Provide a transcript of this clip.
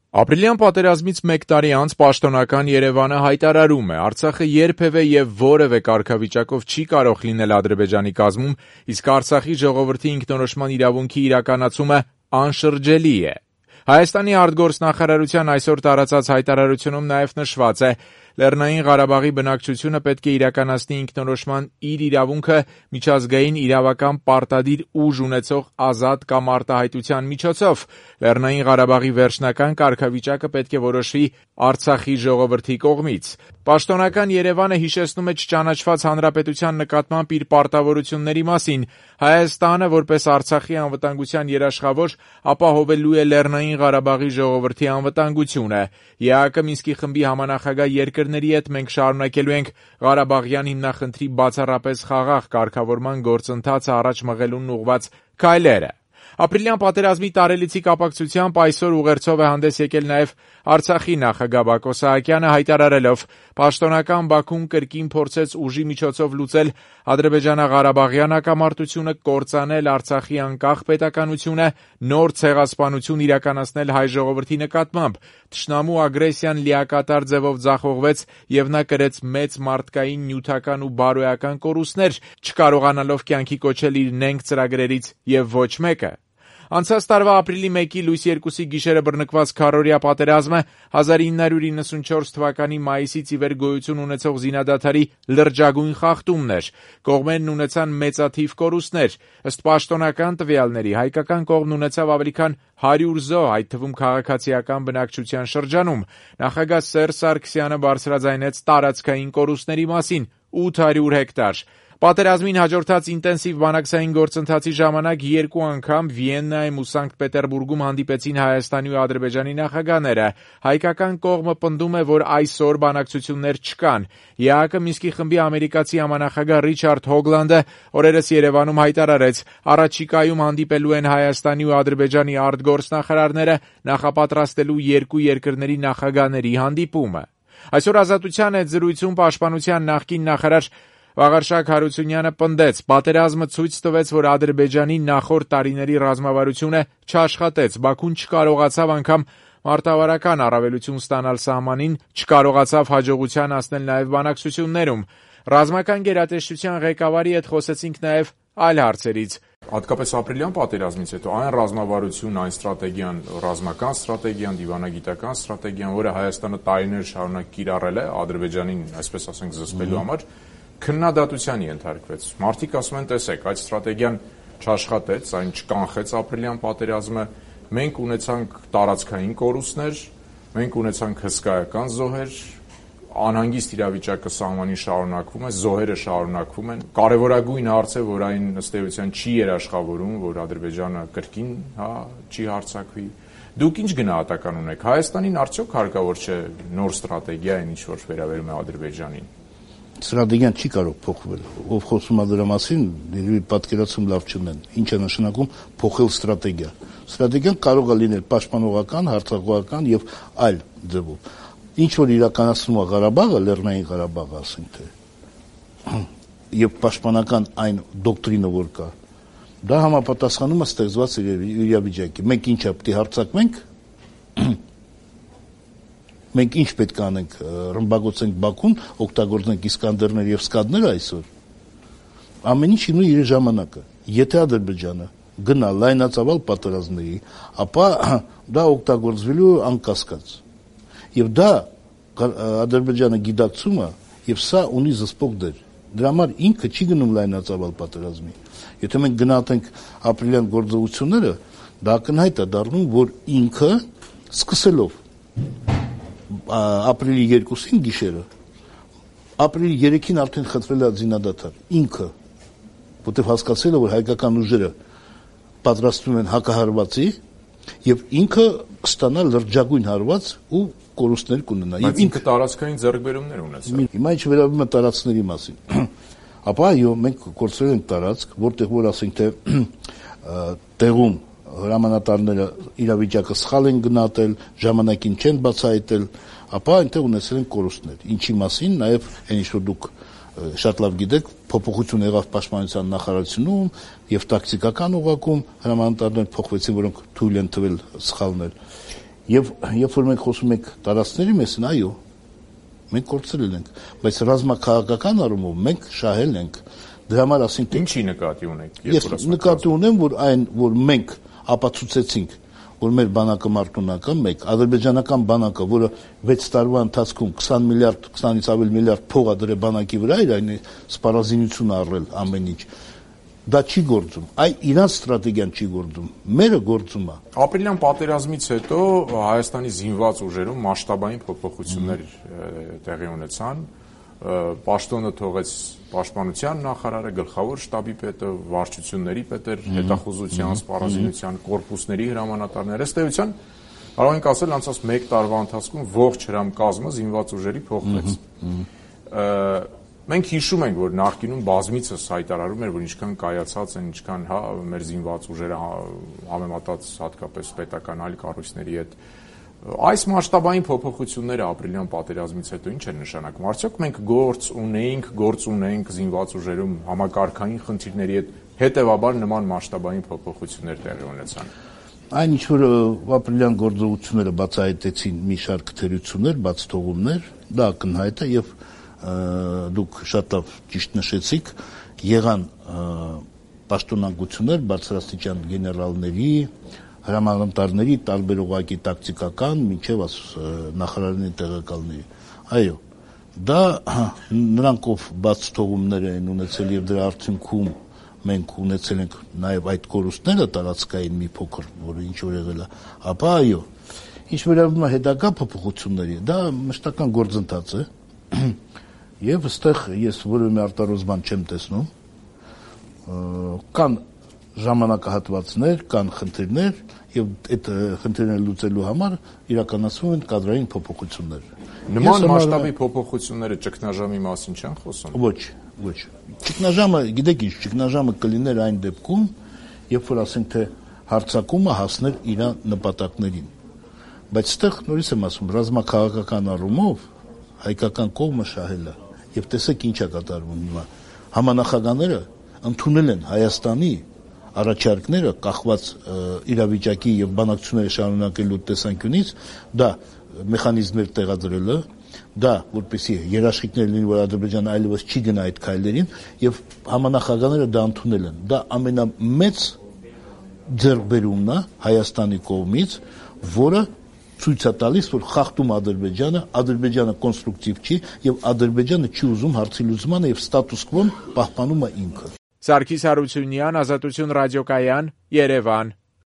Ապրիլյան պատերազմից մեկ տարի անց պաշտոնական Երևանը հայտարարում է. Արցախը երբևէ եւ որևէ կարգավիճակով չի կարող լինել Ադրբեջանի կազմում, իսկ Արցախի ժողովրդի ինքնորոշման իրավունքի իրականացումը անշրջելի է։ Հայաստանի արտգործնախարարության այսօր տարածած հայտարարությունում նաև նշված է. Լեռնային Ղարաբաղի բնակչությունը պետք է իրականացնի ինքնորոշման իր իրավունքը միջազգային իրավական պարտադիր ուժ ունեցող ազատ կամ արտահայտության միջոցով։ Լեռնային Ղարաբաղի վերջնական կարգավիճակը պետք է որոշվի Արցախի ժողովրդի կողմից։ Պաշտոնական Երևանը հիշեցնում է չճանաչված հանրապետության նկատմամբ իր պարտավորությունների մասին։ Հայաստանը, որպես Արցախի անվտանգության երաշխավոր, ապահովելու է Լեռնային Ղարաբաղի ժողովրդի անվտանգությունը։ ԵԱՀԿ Մինսկի խմբի համանախագահ երկրների հետ մենք շարունակելու ենք Ղարաբաղյան հիմնախնդրի բացառապես խաղաղ կարգավորման գործընթացը առաջ մղելուն ուղղված քայլերը։ Ապրիլյան պատերազմի տարելիցի կապակցությամբ այսօր ուղերձով է հանդես եկել նաև Արցախի նախագահ Բակո Սահակյանը, հայտարարելով. պաշտոնական Բաքուն կրկին փորձեց ուժի միջոցով լուծել ադրբեջանա-ղարաբաղյան հակամարտությունը, կործանել Արցախի անկախ պետականությունը, նոր ցեղասպանություն իրականացնել հայ ժողովրդի նկատմամբ։ Թշնամու ագրեսիան լիակատար ձևով ձախողվեց եւ նա կրեց մեծ մարդկային, նյութական ու բարոյական կորուստներ, չկարողանալով կյանքի կոչել իր նենգ ծրագրերից եւ ոչ մեկը։ Անցած տարվա ապրիլի 1-ի լույս 2-ի գիշերը բռնկված քառօրյա պատերազմը 1994 թվականի մայիսից ի վեր գոյություն ունեցող զինադադարի լրջագույն խախտումն էր։ Կողմերն ունեցան մեծաթիվ կորուստներ։ Ըստ պաշտոնական տվյալների հայկական կողմն ունեցավ ավելի քան 100 զոհ, այդ թվում քաղաքացիական բնակչության շրջանում։ Նախագահ Սերժ Սարգսյանը բարձրաձայնեց տարածքային կորուստների մասին՝ 800 հեկտար։ Պատերազմին հաջորդած ինտենսիվ բանակցային գործընթացի ժամանակ երկու անգամ Վիեննայում ու Սանկտ Պետերբուրգում հանդիպեցին Հայաստանի ու Ադրբեջանի նախագահները։ Հայկական կողմը պնդում է, որ այսօր բանակցություններ չկան։ ԵԱՀԿ Մինսկի խմբի ամերիկացի համանախագահ Ռիչարդ Հոգլանդը օրերս Երևանում հայտարարեց. առաջիկայում հանդիպելու են Հայաստանի ու Ադրբեջանի արտգործնախարարները նախապատրաստելու երկու երկրների նախագահների հանդիպումը։ Այսօր Ազատության հետ զրույցում պաշտպանության նախկին նախարար Վաղարշակ Հարությունյանը պնդեց. պատերազմը ցույց տվեց, որ Ադրբեջանի նախորդ տարիների ռազմավարությունը չաշխատեց, Բաքուն չկարողացավ անգամ մարտավարական առավելություն ստանալ սահմանին, չկարողացավ հաջողության հասնել նաև բանակցություններում։ Ռազմական գերատեսչության ղեկավարի հետ խոսեցինք նաև այլ հարցերից։ Հատկապես ապրիլյան պատերազմից հետո այն ռազմավարություն, այն ստրատեգիան, ռազմական ստրատեգիան, դիվանագիտական ստրատեգիան, որը Հայաստանը տարիներ շարունակ կիրառել է Ադրբեջանին, այսպես ասենք, զսպելու համար, քննադատության ենթարկվեց։ Մարդիկ ասում են, տեսեք, այդ ստրատեգիան չաշխատեց, այն չկանխեց ապրիլյան պատերազմը, մենք ունեցանք տարածքային կորուստներ, մենք ունեցանք հսկայական զոհեր, անհանգիստ իրավիճակը սահմանին շարունակվում է, զոհերը շարունակվում են։ Կարևորագույն հարց է, որ այն ըստ էության չի երաշխավորում, որ Ադրբեջանը կրկին չի հարձակվի։ Դուք ինչ գնահատական ունեք, Հայաստանին արդյոք հարկավոր չէ նոր ստրատեգիա, այն ինչ որ վերաբերում է Ադրբեջանին։ Ստրատեգիան չի կարող փոխվել։ Ով խոսում է դրա մասին, պատկերացում լավ չունեն։ Ինչ է նշանակում փոխել ստրատեգիա։ Ստրատեգիան կարող է լինել պաշտպանողական, հարձակողական եւ այլ ձևով։ Ինչ որ իրականացնում է Ղարաբաղը, Լեռնային Ղարաբաղը, ասենք թե, եւ պաշտպանական այն դոկտրինը, որ կա, դա համապատասխանում է ստեղծված իրավիճակի։ Մենք ինչա պետք է հարձակվենք։ Մենք ինչ պետք է անենք, ռմբակոծենք Բաքուն, օգտագործենք Իսկանդերներ եւ Սկադներ այսօր։ Ամեն ինչ ունի իր ժամանակը։ Եթե Ադրբեջանը գնա լայնածավալ պատերազմների, ապա դա օգտագործվելու անկասկած։ Եվ դա Ադրբեջանը գիտակցում է եւ սա ունի զսպող դեր։ Դրա համար ինքը չի գնում լայնածավալ պատերազմի։ Եթե մենք գնահատենք ապրիլյան գործողությունները, դա ակնհայտ է դառնում, որ ինքը սկսելով ապրիլի 2-ին գիշերը, ապրիլի 3-ին արդեն խնդրել է զինադադար, ինքը, որտեղ հասկացել է, որ հայկական ուժերը պատրաստվում են հակահարվածի եւ ինքը ստանա լրջագույն հարված ու կորուստներ կունենա։ Բայց ինքը տարածքային ձեռքբերումներ ունեցավ։ Հիմա ինչ վերաբերում է տարածքների մասին, ապա այո, մենք կորցրել ենք տարածք, որտեղ որ ասենք թե տեղում հրամանատարները իրավիճակը սխալ են գնահատել, ժամանակին չեն բացահայտել, ապա այնտեղ ունեցել են կորուստներ։ Ինչի մասին նաև այն ինչ որ դուք շատ լավ գիտեք, փոփոխություն եղավ պաշտպանության նախարարությունում եւ տակտիկական ուղղակում հրամանատարներ փոխվեցին, որոնք թույլ են տվել սխալներ։ Եվ երբ որ մենք խոսում ենք տարածքների մասին, այո, մենք կորցրել ենք, բայց ռազմաքաղաքական առումով մենք շահել ենք։ Դրա համար ասենք ինչի նկատի ունեք։ Ես նկատի ունեմ, որ այն, որ մենք ապացուցեցինք, որ մեր բանակը մարտունական, մեկ ադրբեջանական բանակը, որը 6 տարվա ընթացքում 20 միլիարդ, 20-ից ավելի միլիարդ փող ա դրել բանակի վրա, իր այն սպառազինություն առել ամեն ինչ, դա չի գործում, իրանց ստրատեգիան չի գործում, մերը գործում է։ Ապրիլյան պատերազմից հետո Հայաստանի զինված ուժերում մասշտաբային փոփոխություններ տեղի ունեցան, պաշտոնը թողեց պաշտպանության նախարարը, գլխավոր շտաբի պետը, վարչությունների պետեր, հետախուզության, սպառազինության, կորպուսների հրամանատարներ, ըստ էության կարող ենք ասել անցած 1 տարվա ընթացքում ողջ հրամկազմը զինված ուժերի փոխվեց։ Մենք հիշում ենք, որ նախկինում բազմիցս հայտարարում էր, որ ինչքան կայացած են, ինչքան մեր զինված ուժերը համեմատած հատկապես պետական այլ կառույցների հետ։ Այս մասշտաբային փոփոխությունները ապրիլյան պատերազմից հետո ինչ են նշանակում։ Արդյոք մենք գործ ունենք զինված ուժերում համակարգային խնդիրների հետ, հետևաբար նման մասշտաբային փոփոխություններ տեղի ունեցան։ Այն ինչ որ ապրիլյան գործողությունները բացահայտեցին մի շարք թերություններ, բացթողումներ, դա ակնհայտ է եւ դուք շատ լավ ճիշտ նշեցիք, եղան պաշտոնանկություններ բարձրաստիճան գեներալների, հրամանատարների, տարբեր ուղղակի տակտիկական, մինչև նախարարների տեղակալների։ Այո, դա նրանք ով բացթողումներ են ունեցել եւ դրա արդյունքում մենք ունեցել ենք նաեւ այդ կորուստները տարածքային մի փոքր, որը ինչ որ եղել է, ապա այո, ինչ վերաբերում է հետագա փոփոխությունների, դա մշտական գործընթաց է։ Եվ այստեղ ես որևէ արտարոց բան չեմ տեսնում, կան ժամանակահատվածներ, կան խնդիրներ եւ այդ խնդիրները լուծելու համար իրականացվում են կադրային փոփոխություններ։ Նման մասշտաբի փոփոխությունները ճգնաժամի մասին չեն խոսում։ Ոչ։ Ճգնաժամը, գիտեք ինչ, ճգնաժամը կլիներ այն դեպքում, երբ որ ասենք թե հարձակումը հասներ իր նպատակներին։ Բայց այստեղ նորից եմ ասում, ռազմաքաղաքական առումով հայկական կողմը շահել է։ Եվ տեսեք ինչ է կատարվում հիմա։ Համանախագահները ընդունել են Հայաստանի առաջարկները կախված իրավիճակի եւ բանակցությունները շարունակելու տեսանկյունից, դա մեխանիզմներ տեղադրելը, դա որպեսզի երաշխիքներ լինի, որ Ադրբեջանը այլևս չի գնա այդ քայլերին, եւ համանախագահները դա ընդունել են։ Դա ամենամեծ ձեռքբերումն է Հայաստանի կողմից, որը ցույց է տալիս, որ խախտում Ադրբեջանը կոնստրուկտիվ չի եւ Ադրբեջանը չի ուզում հարցի լուծմանը եւ ստատուս քվոն պահպանում է ինքը։ Սարգիս Հարությունյան, Ազատություն ռադիոկայան, Երևան։